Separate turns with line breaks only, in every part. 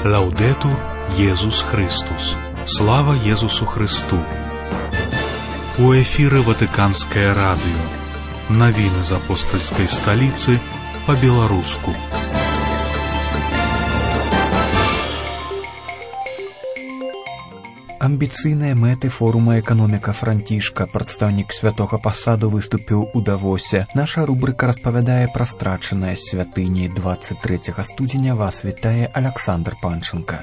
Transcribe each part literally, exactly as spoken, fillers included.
Лаудетур Єсус Христос. Слава Єсусу Христу. У эфире Ватиканское радио. Новины из апостольской столицы по-белорусски.
Амбіцыйныя мэты форума «Эканоміка Францішка». Прадстаўнік святога пасаду выступіў у Давосе. Наша рубрика распавядае пра страчаныя святыні. двадцать трэцяга студзеня вас вітае Александр Панченко.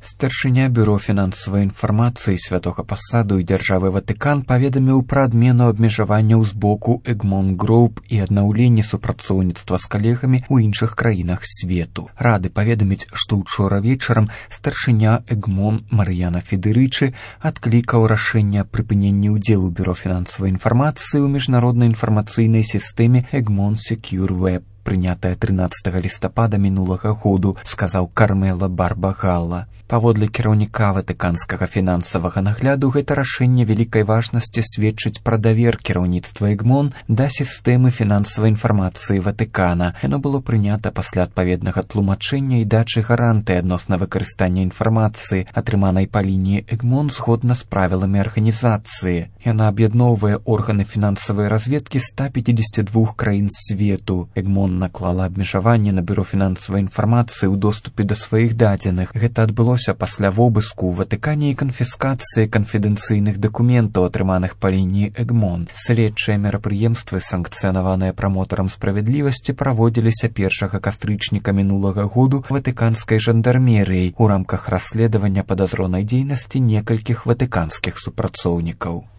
Старшыня бюро фінансавай інфармацыі святога пасаду і дзяржавы Ватыкан паведаміў пра адмену абмежаванняў з боку Egmont Group і аднаўленне супрацоўніцтва з калегамі ў іншых краінах свету. Рады паведаміць, што ўчора вечарам старшыня Egmont Мар'яна Федерычы адклікаў рашэнне аб прыпыненні ўдзелу бюро фінансавай інфармацыі ў міжнароднай інфармацыйнай сістэме Egmont Secure Web, прынятая трынаццатага лістапада мінулага году, сказаў Кармела Барбагалла. Паводле кіраўніка ватыканскага фінансавага нагляду, гэта рашэнне вялікай важнасці сведчыць пра давер кіраўніцтва Egmont да сістэмы фінансавай інфармацыі Ватыкана. Яно было прынята пасля адпаведнага тлумачэння і дачы гарантыі адносна выкарыстання інфармацыі, атрыманай па лініі Egmont згодна з правіламі арганізацыі. Яна аб'ядноўвае органы фінансавай разведкі ста пяцідзесяці двух краін свету. Egmont наклала абмежаванне на бюро фінансавай інфармацыі ў доступе да сваіх дадзеных. Гэта адбылося пасля вобыску ў Ватыкане і канфіскацыі канфідэнцыйных дакументаў, атрыманых па лініі Egmont. Следчыя мерапрыемствы, санкцыянаваныя прамотарам справядлівасці, праводзіліся першага кастрычніка мінулага году ватыканскай жандармерыяй у рамках расследавання падазронай дзейнасці некалькіх ватыканскіх супрацоўнікаў.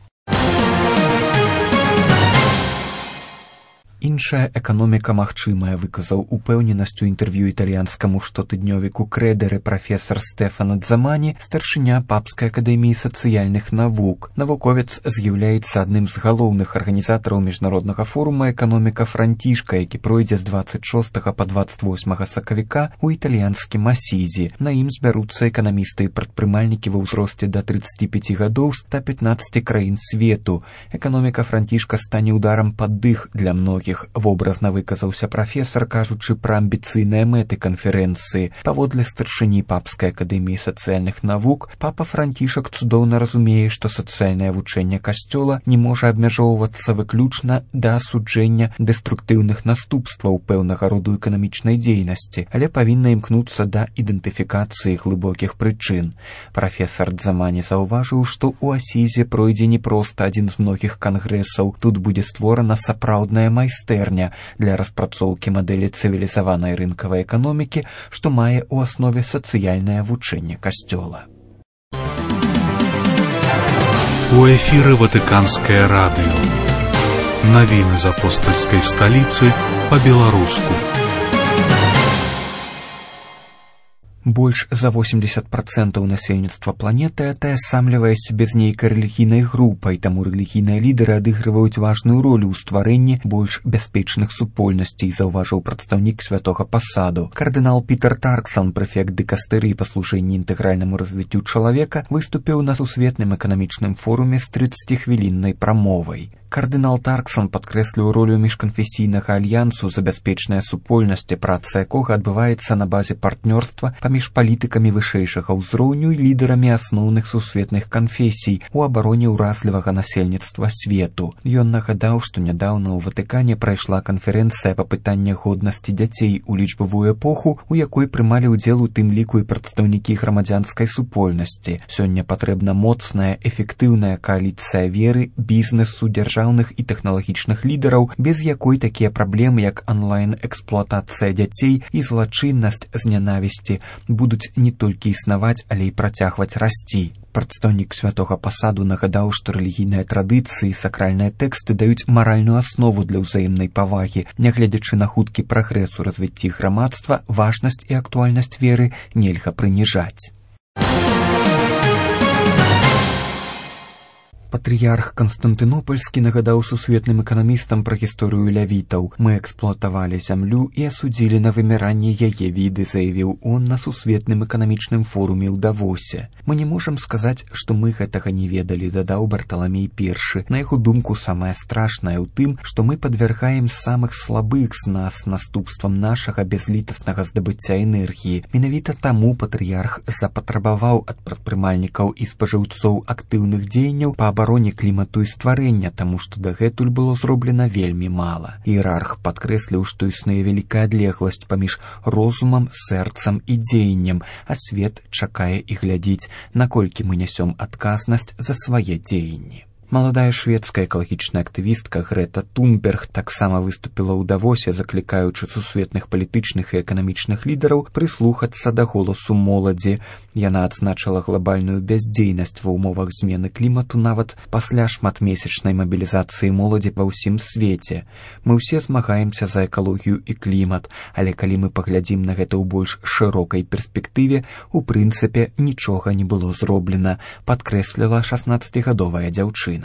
Іншая эканоміка магчымая, выказаў упэўненасць у інтэрв'ю італьянскаму штотыднёвіку Крэдэры прафесар Стэфано Дзамані, старшыня Папскай акадэміі сацыяльных навук. Навуковец з'яўляецца адным з галоўных арганізатараў міжнароднага форума «Эканоміка Францішка», які пройдзе з двадцать шостага па двадцать восьмага сакавіка ў італьянскім Асізі. На ім збяруцца эканамісты і прадпрымальнікі ва ўзросце да трыццаці пяці гадоў ста пятнаццаці краін свету. Эканоміка Францішка стане ударам пад дых для многіх. Вобразна выказаўся прафесар, кажучы пра амбіцыйныя мэты канферэнцыі. Паводле старшыні Папскай акадэміі сацыяльных навук, папа Францішак цудоўна разумее, што сацыяльнае вучэнне касцёла не можа абмяжоўвацца выключна да асуджэння дэструктыўных наступстваў пэўнага роду эканамічнай дзейнасці, але павінна імкнуцца да ідэнтыфікацыі глыбокіх прычын. Прафесар Дзамані заўважыў, што ў Асізе пройдзе не проста адзін з многіх кангрэсаў. Тут будзе створана сапраўдная майстэрня для распрацоўкі мадэлі цывілізаванай рынкавай эканомікі, што мае ў аснове сацыяльнае вучэнне касцёла.
У эфире Ватиканское радио. Новины из апостольской столицы по-белорусски.
Больш за восемьдесят процентаў насельніцтва планеты атаясамлівае сябе з нейкай рэлігійнай групай, таму рэлігійныя лідары адыгрываюць важную ролю ў стварэнні больш бяспечных супольнасцей, заўважыў прадстаўнік святога пасаду. Кардынал Пітер Тарксон, прэфект дыкастэрыі па служэнні інтэгральнаму развіццю чалавека, выступіў на сусветным эканамічным форуме з трыццацігвіліннай прамовай. Кардынал Тарксон падкрэсліў ролю міжканфесійнага альянсу за бяспечная супольнасць, праца якога адбываецца на базе партнёрства паміж палітыкамі вышэйшага ўзроўню і лідарамі асноўных сусветных канфесій у абароне ўразлівага насельніцтва свету. Ён нагадаў, што нядаўна ў Ватыкане прайшла канферэнцыя па пытаннях годнасці дзяцей у лічбавую эпоху, у якой прымалі ўдзел у тым ліку і прадстаўнікі грамадзянскай супольнасці. Сёння патрэбна моцная, эфектыўная кааліцыя веры, бізнесу, дзяржавы і тэхналагічных лідараў, без якой такія праблемы, як онлайн-эксплуатацыя дзяцей і злачыннасць з нянавісці, будуць не толькі існаваць, але і працягваць расці. Прадстаўнік святога пасаду нагадаў, што рэлігійныя традыцыі і сакральныя тэксты даюць маральную аснову для ўзаемнай павагі. Нягледзячы на хуткі прагрэс у развіцці грамадства, важнасць і актуальнасць веры нельга прыніжаць. Патрыярх Канстантынопольскі нагадаў сусветным эканамістам пра гісторыю лявітаў. Мы эксплуатавалі зямлю і асудзілі на выміранне яе віды, заявіў он на сусветным эканамічным форуме ў Давосе. Мы не можам сказаць, што мы гэтага не ведалі, дадаў Барталамей першы. На яго думку, самае страшнае ў тым, што мы падвяргаем самых слабых з нас наступствам нашага бязлітаснага здабыцця энергіі. Менавіта таму патрыярх запатрабаваў ад прадпрымальнікаў і спажыўцоў актыўных дзеянняў па абароне клімату і стварэння, таму што дагэтуль было зроблена вельмі мала. Іерарх падкрэсліў, што існуе вялікая адлегласць паміж розумам, сэрцам і дзеяннем, а свет чакае і глядзіць, наколькі мы нясём адказнасць за свае дзеянні. Маладая шведская экалагічная актывістка Грета Тунберг таксама выступіла ў Давосе, заклікаючы сусветных палітычных і эканамічных лідараў прыслухацца да голасу моладзі. Яна адзначыла глобальную бяздзейнасць ва ўмовах змены клімату нават пасля шматмесячнай мабілізацыі моладзі па ўсім свеце. Мы ўсе змагаемся за экалогію і клімат, але калі мы паглядзім на гэта ў больш шырокай перспектыве, у прынцыпе нічога не было зроблена, падкрэсліла шаснаццацігадовая дзяўчына.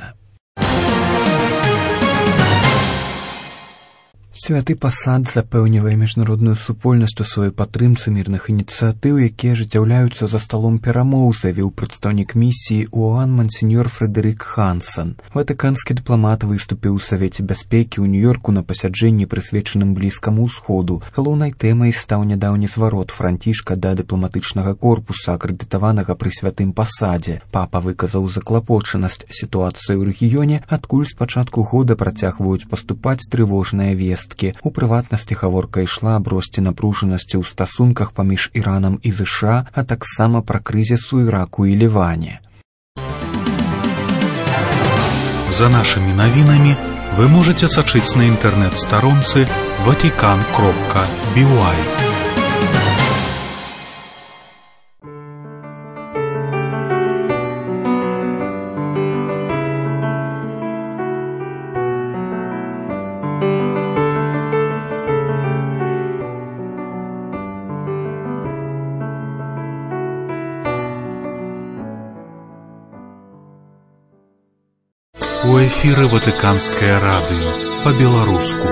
Святы пасад запэўнівае міжнародную супольнасць у сваёй падтрымцы мірных ініцыятыў, якія ажыццяўляюцца за сталом перамоў, заявіў прадстаўнік місіі ООН мансеньор Фрэдэрик Хансэн. Ватыканскі дыпламат выступіў у Савеце бяспекі ў Нью-Йорку на пасяджэнні, прысвечаным Блізкаму ўсходу. Галоўнай тэмай стаў нядаўні зварот Францішка да дыпламатычнага корпуса, акрэдытаванага пры святым пасадзе. Папа выказаў заклапочанасць сітуацыі ў рэгіёне, адкуль з пачатку года працягваюць паступаць трывожныя весткі. У прыватнасці гаворка ішла аб росце напружанасці ў стасунках паміж Іранам і ЗША, а таксама пра крызіс у Іраку і Ліване.
За нашымі навінамі вы можаце сачыць на інтэрнэт-старонцы ватикан кропка би уай.
У эфіры Ватыканскае радыё па-беларуску.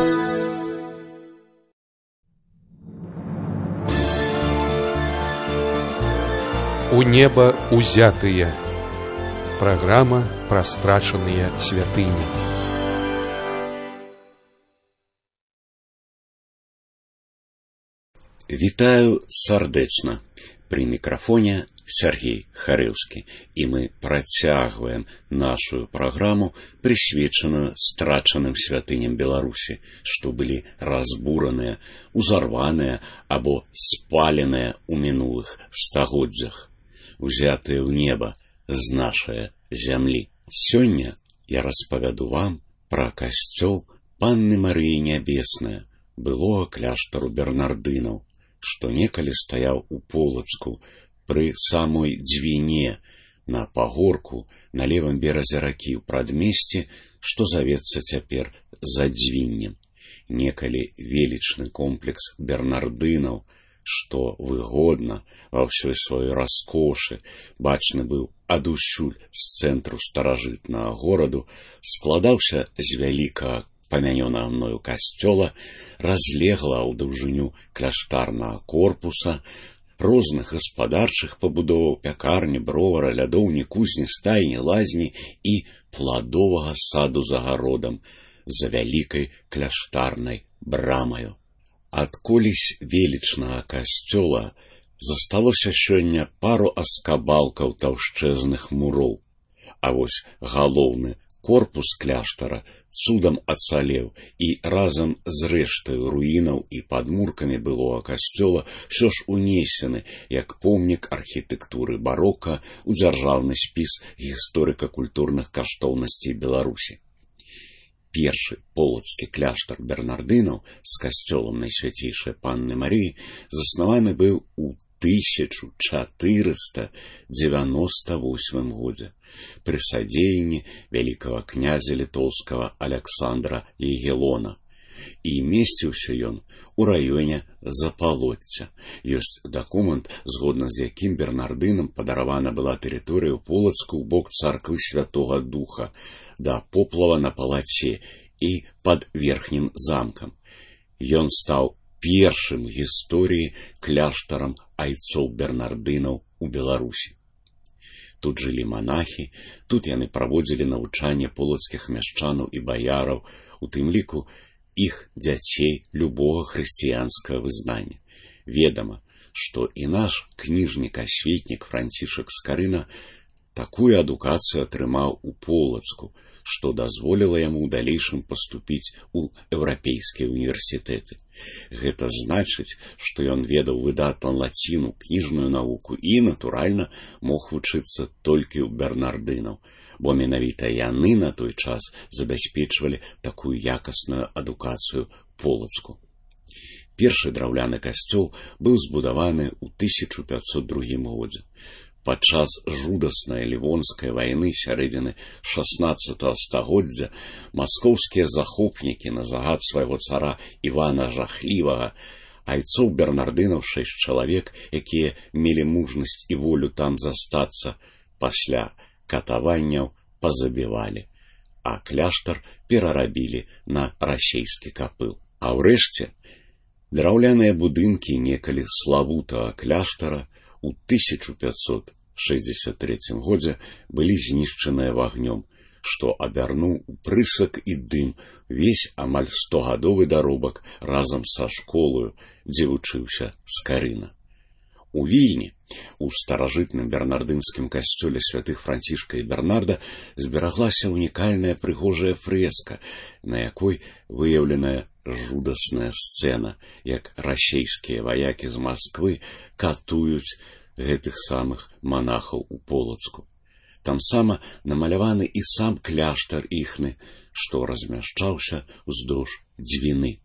У неба узятыя. Праграма пра страчаныя святыні.
Вітаю сардэчна. Пры мікрафоне Сергей Харэўскі, і мы працягваем нашу праграму, прысвечаную страчаным святыням Беларусі, што былі разбураныя, узарваныя або спаленыя ў мінулых стагоддзях, узятыя ў неба з нашай зямлі. Сёння я распавяду вам пра касцёл Панны Марыі Нябеснае, былога кляштару бернардынаў, што некалі стаяў у Полацку пры самой дзвіне на пагорку на левым беразе ракі ў прадмесці, што завецца цяпер за дзвіннем. Некалі велічны комплекс бернардынаў, што выгодна ва ўсёй сваёй раскошы бачны быў адусюль з цэнтру старажытнага гораду, складаўся з вялікага памянёнага мною касцёла, разлегла ў даўжыню кляштарнага корпуса, розных гаспадарчых пабудоваў, пякарні, бровара, лядоўні, кузні, стайні, лазні і пладовага саду за гародам за вялікай кляштарнай брамаю. Ад колісь велічнага касцёла засталося сёння пару аскабалкаў таўшчэзных муроў, а вось галоўны корпус кляштара цудам ацалеў і разам з рэштай руінаў і падмуркамі былога касцёла ўсё ж унесены як помнік архітэктуры барока ў дзяржаўны спіс гісторыка-культурных каштоўнасцей Беларусі. Першы полацкі кляштар бернардынаў з касцёлам Найсвяцейшай Панны Марыі заснаваны быў у тысяча чатырыста дзевяноста восьмым годзе пры садзеянні вялікага князя літоўскага Аляксандра Ягелона. і месціўся ён у раёне Запалоцця. Ёсць дакумент, згодна з якім бернардынам падаравана была тэрыторыя ў Полацку ў бок царквы Святога Духа, да поплава на палаце і пад верхнім замкам. Ён стаў першым у гісторыі кляштарам айцоў бернардынаў у Беларусі. Тут жылі манахі, тут яны праводзілі навучанне полацкіх мяшчанаў і баяраў, у тым ліку іх дзяцей любога хрысціянскага вызнання. Ведама, што і наш кніжнік-асветнік Францішак Скарына такую адукацыю атрымаў у Полацку, што дазволіла яму ў далейшым паступіць у еўрапейскія універсітэты. Гэта значыць, што ён ведаў выдатна лаціну, кніжную навуку і, натуральна, мог вучыцца толькі ў бернардынаў, бо менавіта яны на той час забяспечвалі такую якасную адукацыю Полацку. Першы драўляны касцёл быў збудаваны ў тысяча пятьсот другім годзе. Падчас жудаснай лівонскай вайны сярэдзіны шаснаццатага стагоддзя маскоўскія захопнікі на загад свайго цара Івана Жахлівага айцоў бернардынаў шэсць чалавек, якія мелі мужнасць і волю там застацца, пасля катаванняў пазабівалі, а кляштар перарабілі на расейскі капыл. А ўрэшце драўляныя будынкі некалі славутага кляштара у тысяча пятьсот шэсцьдзесят трэцім годзе былі знішчаныя вагнём, што абярнуў у прысак і дым весь амаль стогадовы даробак разам са школаю, дзе вучыўся Скарына. У Вільні, у старажытным бернардынскім касцёле святых Францішка і Бернарда, збераглася унікальная прыгожая фрэска, на якой выяўленая жудасная сцэна, як расейскія ваякі з Масквы катуюць гэтых самых манахаў у Полацку. Там сама намаляваны і сам кляштар іхны, што размяшчаўся ўздоўж дзвіны.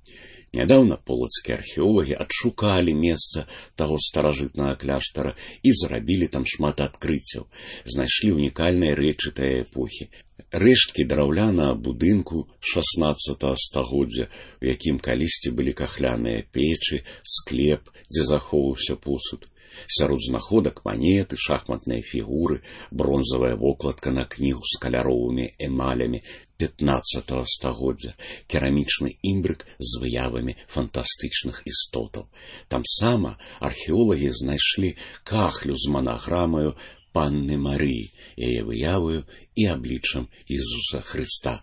Нядаўна полацкія археолагі адшукалі месца таго старажытнага кляштара і зрабілі там шмат адкрыццяў. Знайшлі унікальныя рэчы тае эпохі. Рэшткі драўлянага будынку шаснаццатага стагоддзя, у якім калісьці былі кахляныя печы, склеп, дзе захоўваўся посуд. Сярод знаходак манеты, шахматныя фігуры, бронзавая вокладка на кнігу з каляровымі эмалямі пятнаццатага стагоддзя, керамічны імбрык з выявамі фантастычных істотаў. Там сама археолагі знайшлі кахлю з манаграмаю Панны Марыі, яе выяваю і абліччам Ісуса Хрыста.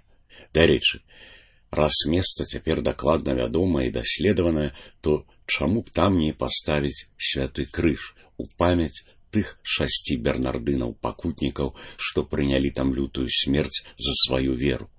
Дарэчы, раз месца цяпер дакладна вядомае і даследаванае, то чаму б там не паставіць святы крыж у памяць тых шасці бернардынаў-пакутнікаў, што прынялі там лютую смерць за сваю веру.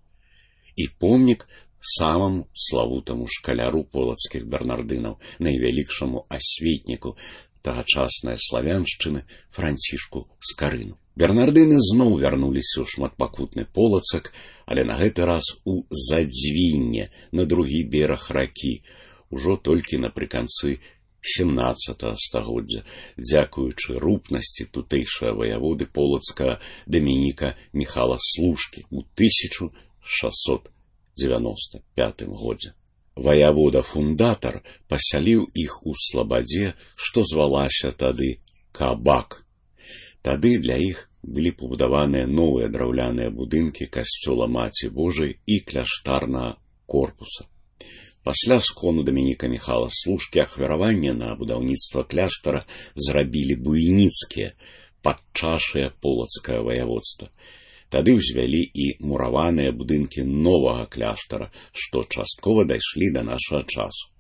І помнік самаму славутаму шкаляру полацкіх бернардынаў, найвялікшаму асветніку тагачаснай славяншчыны Францішку Скарыну. Бернардыны зноў вярнуліся ў шматпакутны Полацак, але на гэты раз у Задзвінне, на другі бераг ракі, ужо толькі напрыканцы сямнаццатага стагоддзя, дзякуючы рупнасці тутэйшага ваяводы полацкага Дамініка Міхала Слушкі ў тысяча шасцьсот дзевяноста пятым годзе. Ваявода-фундатар пасяліў іх у слабадзе, што звалася тады Кабак. Тады для іх былі пабудаваныя новыя драўляныя будынкі касцёла Маці Божай і кляштарнага корпуса. Пасля скону Дамініка Міхала Слушкі ахвяраванне на будаўніцтва кляштара зрабілі буйніцкія, падчашыя полацкае ваяводства. Тады ўзвялі і мураваныя будынкі новага кляштара, што часткова дайшлі да нашага часу.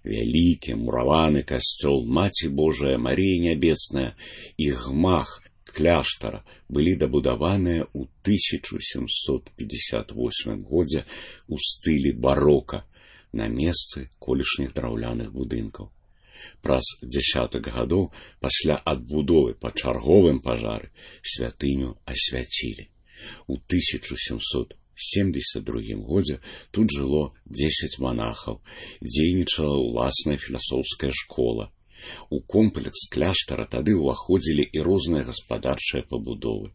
Вялікі мураваны касцёл Маці Божая Марія Нябесная і гмах кляштара былі дабудаваныя ў тысяча сямсот пятьдесят восьмым годзе ў стылі барока на месцы колішніх драўляных будынкаў. Праз дзясятак гадоў пасля адбудовы па чарговым пажары святыню асвяцілі. У тысяча сямсот семьдесят другім годзе тут жыло дзесяць манахаў, дзейнічала ўласная філасофская школа. У комплекс кляштара тады ўваходзілі і розныя гаспадарчыя пабудовы.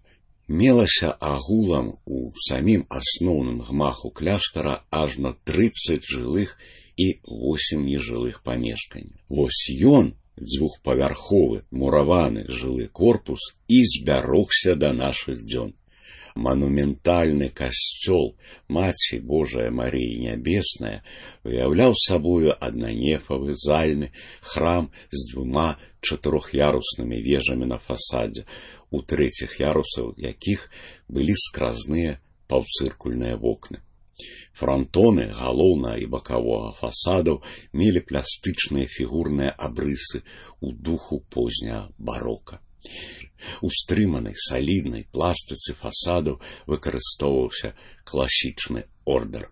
Мелася агулам у самім асноўным гмаху кляштара ажно трыццаць жылых і восем нежылых памешканняў. Вось ён, дзвюхпавярховы мураваны жылы корпус, і збярогся да нашых дзён. Манументальны касцёл Маці Божая Марыі Нябесная уяўляў сабою аднанефавы зальны храм з двума чатырох'яруснымі вежамі на фасадзе, у трэціх ярусаў якіх былі скразныя паўцыркульныя вокны. Франтоны галоўнага і бакавога фасадаў мелі пластычныя фігурныя абрысы ў духу позняга барока. У стрыманай саліднай пластыцы фасадаў выкарыстоўваўся класічны ордар.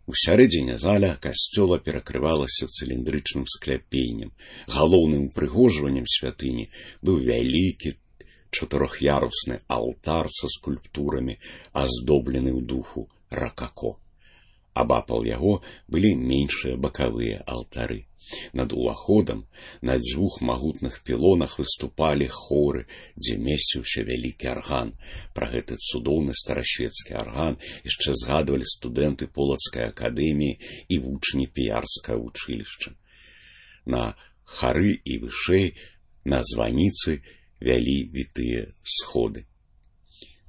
У сярэдзіне заля касцёла перакрывалася цыліндрычным скляпеннем. Галоўным упрыгожваннем святыні быў вялікі чатырох'ярусны алтар са скульптурамі, аздоблены ў духу ракако. Абапал яго былі меншыя бакавыя алтары. Над уваходам на дзвюх магутных пілонах выступалі хоры, дзе месціўся вялікі арган. Пра гэты цудоўны старасвецкі арган яшчэ згадвалі студэнты Полацкай акадэміі і вучні піярскага вучылішча. На хары і вышэй на званіцы вялі вітыя сходы.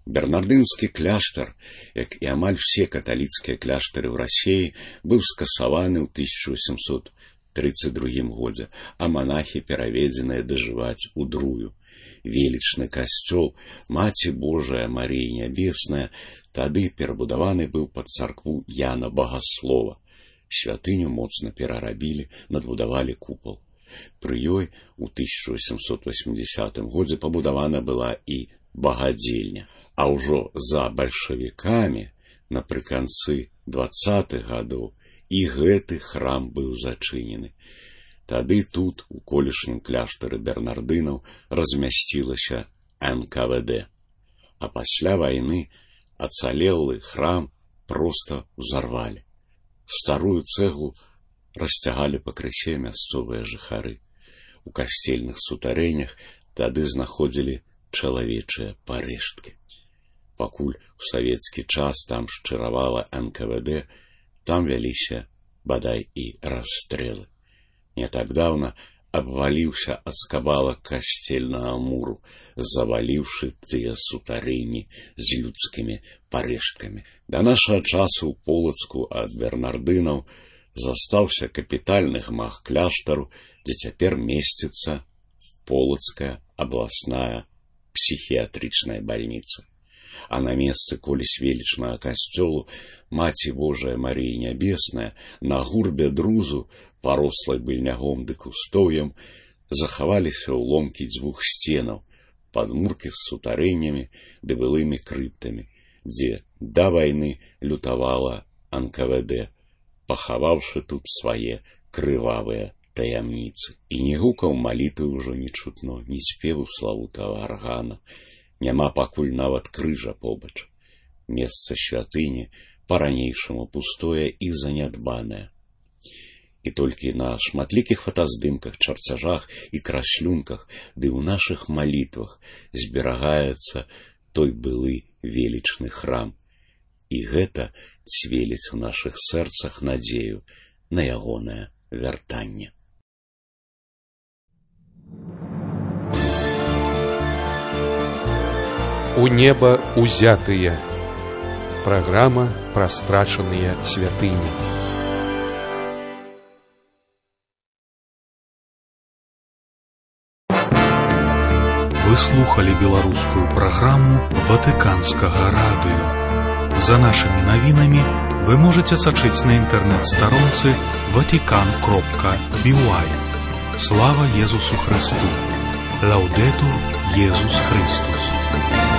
Бернардынскі кляштар, як і амаль усе каталіцкія кляштары ў Расіі, быў скасаваны ў тысяча восемсот трыццаць другім годзе, а манахі пераведзеныя дажываць у Друю. Велічны касцёл Маці Божая Марыі Нябесная тады перабудаваны быў пад царкву Яна Багаслова. Святыню моцна перарабілі, надбудавалі купал. Пры ёй у тысяча восемсот восьмідзясятым годзе пабудавана была і багадзельня. А ўжо за бальшавікамі напрыканцы дваццатых гадоў і гэты храм быў зачынены. Тады тут, у колішнім кляштары бернардынаў, размясцілася эн ка вэ дэ. А пасля вайны ацалелы храм проста ўзарвалі. Старую цэглу расцягалі пакрысе мясцовыя жыхары. У касцельных сутарэннях тады знаходзілі чалавечыя парэшткі. Пакуль у савецкі час там шчыравала эн ка вэ дэ, там вяліся, бадай, і расстрэлы. Не так даўна абваліўся аскабалак касцельнага муру, заваліўшы тыя сутарэнні з людскімі парэшткамі. Да нашага часу ў Полацку ад бернардынаў застаўся капітальны гмах кляштару, дзе цяпер месціцца Полацкая абласная псіхіятрычная бальніца. А на месцы колісь велічнага касцёлу Маці Божая Марыі Нябесная на гурбе друзу, парослай быльнягом ды кустоўем, захаваліся ўломкі дзвюх сценаў, падмуркі з сутарэннямі ды былымі крыптамі, дзе да вайны лютавала эн ка вэ дэ, пахаваўшы тут свае крывавыя таямніцы. І не гукаў малітвы ўжо не чутно, ні спеву славутага аргана. Няма пакуль нават крыжа побач. Месца святыні па-ранейшаму пустое і занядбанае. І толькі на шматлікіх фотаздымках, чарцяжах і краслюнках ды ў нашых малітвах зберагаецца той былы велічны храм. І гэта цвеліць у нашых сэрцах надзею на ягонае вяртанне.
У неба узятыя. Праграма пра страчаныя святыні.
Вы слухали беларускую праграму Ватыканскага радыё. За нашымі навінамі вы можаце сачыць на інтэрнэт-старонцы ватикан кропка би уай. Слава Езусу Христу! Лаудетур Езус Христус!